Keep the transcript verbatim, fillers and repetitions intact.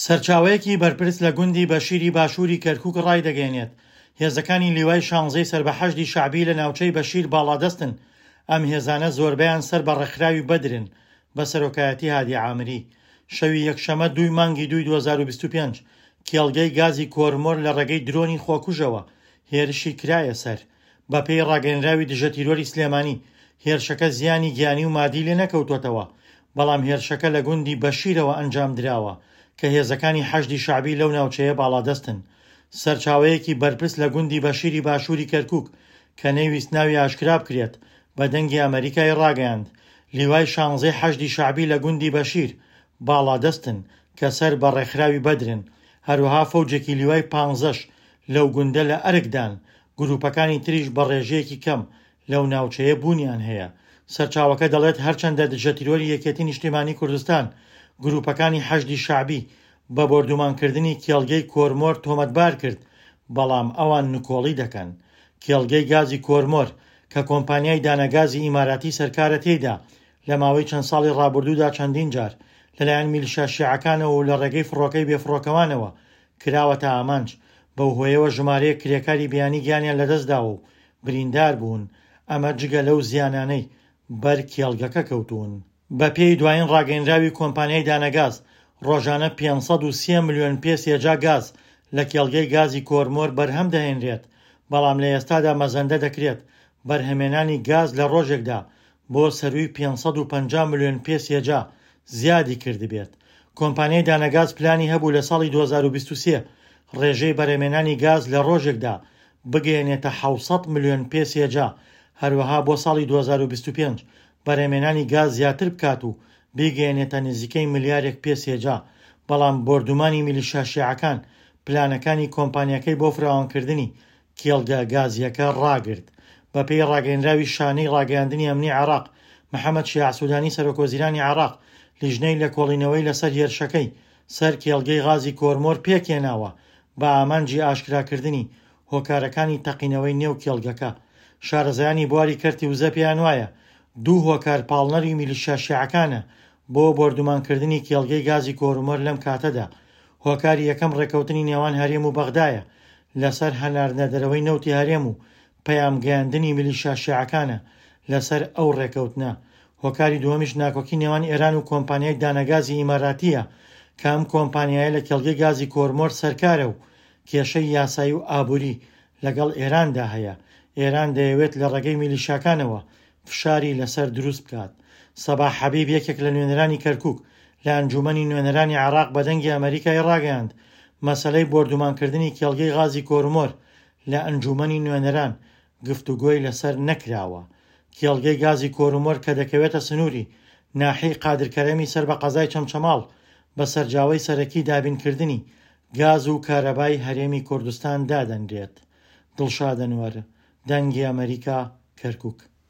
سەرچاوەیەکی بەرپرس لە گوندی بەشیری باشووری کەرکوک ڕایدەگەیەنێت، هێزەکانی لیوای شانزەی سەر بە حەشدی شەعبی لە ناوچەی بەشیر باڵادەستن، ئەم هێزانە زۆربەیان سەر بە ڕێکخراوی بەدرن بە سەرۆکایەتی هادی عامری. شەوی یەکشەممە دووی مانگی دووی دوو هەزار و بیست و پێنج کێڵگەی گازی کۆرمۆر لە ڕێگەی درۆنی خۆکوژەوە هێرشی کرایە سەر. بەپێی ڕاگەیەنراوی دژەتیرۆری سلێمانی، هێرشەکە زیانی گیانی و مادی لێ نەکەوتووەتەوە، بەڵام هێرشەکە لە گوندی بەشیرەوە ئەنجام دراوە کە هێزەکانی حەشدی شەعبی لەو ناوچەیە باڵادەستن. سەرچاوەیەکی بەرپرس لە گوندی بەشیری باشووری کەرکوک کە نەیویست ناوی ئاشکرا بکرێت بە دەنگی ئەمەریکای ڕاگەیاند، لیوای شانزەی حەشدی شەعبی لە گوندی بەشیر باڵادەستن کە سەر بە ڕێکخراوی بەدرن، هەروەها فەوجێکی لیوای پانزەش لەو گوندە لە ئەرکدان، گروپەکانی تریش بە ڕێژەیەکی کەم لەو ناوچەیە بوونیان هەیە. سەرچاوەکە دەڵێت هەرچەندە دژەتیرۆری یەکێتی نیشتیمانی کوردستان گروپەکانی حەشدی شەعبی بە بۆردومانکردنی کێڵگەی کۆرمۆر تۆمەتبار کرد، بەڵام ئەوان نکۆڵی دەکەن. کێڵگەی گازی کۆرمۆر کە کۆمپانیای دانەگازی ئیماراتی سەرکارە تێیدا لە ماوەی چەند ساڵی ڕابردوودا چەندین جار لەلایەن میلیشیا شیعەکانەوە و لە ڕێگەی فڕۆکەی بێفڕۆکەوانەوە کراوەتە ئامانج، بەو هۆیەوە ژمارەیەک کرێکاری بیانی گیانیان لەدەستداوە و بریندار بوون، ئەمە جگە لەو زیانانەی بەر کێڵگەکە کەوتوون. بەپێی دوایین ڕاگەیەنراوی کۆمپانیای دانەگاز، ڕۆژانە پێنج سەد و سێ ملیۆن پێ سێجا گاز لە کێڵگەی گازی کۆرمۆر بەرهەم دەهێنرێت، بەڵام لە ئێستادا مەزەندە دەکرێت بەرهەمێنانی گاز لە ڕۆژێکدا بۆ سەرووی پێنج سەد و پەنجا ملیۆن پێ سێجا زیادی کردبێت. کۆمپانیای دانەگاز پلانی هەبوو لە ساڵی دوو هەزار و بیست و سێ ڕێژەی بەرهەمێنانی گاز لە ڕۆژێکدا بگەیەنێتە حەوت سەد ملیۆن پێ سێجا، هەروەها بۆ ساڵی دوو هەزار و بیست و پێنج بەرهەمێنانی گاز زیاتر بکات و بیگەیەنێتە نزیکەی ملیارێک پێ سێجا، بەڵام بۆردومانی میلیشیا شیعەکان پلانەکانی کۆمپانیاکەی بۆ فراوانکردنی کێڵگە گازیەکە ڕاگرت. بەپێی ڕاگەیەنراوی شانەی ڕاگەیاندنی ئەمنی عێراق، محەممەد شیاع سودانی سەرۆکوەزیرانی عێراق لیژنەی لێکۆڵینەوەی لەسەر هێرشەکەی سەر کێڵگەی غازی کۆرمۆر پێکهێناوە بە ئامانجی ئاشکراکردنی هۆکارەکانی تەقینەوەی نێو کێڵگەکە. شارەزایانی بواری کەرتی وزە پێیان وایە دوو هۆکار پاڵنەری میلیشیا شیعەکانە بۆ بۆردومانکردنی کێڵگەی گازی کۆرمۆر لەم کاتەدا. هۆکاری یەکەم ڕێکەوتنی نێوان هەرێم و بەغدایە لەسەر هەناردنە دەرەوەی نەوتی هەرێم و پەیامگەیاندنی میلیشیا شیعەکانە لەسەر ئەو ڕێکەوتنە. هۆکاری دووەمیش ناکۆکی نێوان ئێران و کۆمپانیای دانەگازی ئیماراتیە کە ئەم کۆمپانیایە لە کێڵگەی گازی کۆرمۆر سەرکارە و کێشەی یاسایی و ئابووری لەگەڵ ئێراندا هەیە. ئێران دەیەوێت لە ڕێگەی میلیشیاکانەوە فشاری لەسەر دروست بکات. سەباح حەبیب یەکێک لە نوێنەرانی کەرکوک لە ئەنجومەنی نوێنەرانی عێراق بە دەنگی ئەمەریکای ڕاگەیاند مەسەلەی بۆردومانکردنی کێڵگەی غازی کۆرمۆر لە ئەنجومەنی نوێنەران گفتوگۆی لەسەر نەکراوە. کێڵگەی گازی کۆرمۆر کە دەکەوێتە سنووری ناحیەی قادرکەرەمی سەر بە قەزای چەمچەماڵ بە سەرجاوەی سەرەکی دابینکردنی گاز و کارەبای هەرێمی کوردستان دادەنرێت. دڵشاد ئەنوەر، دەنگی ئەمەریکا، کەرکوک.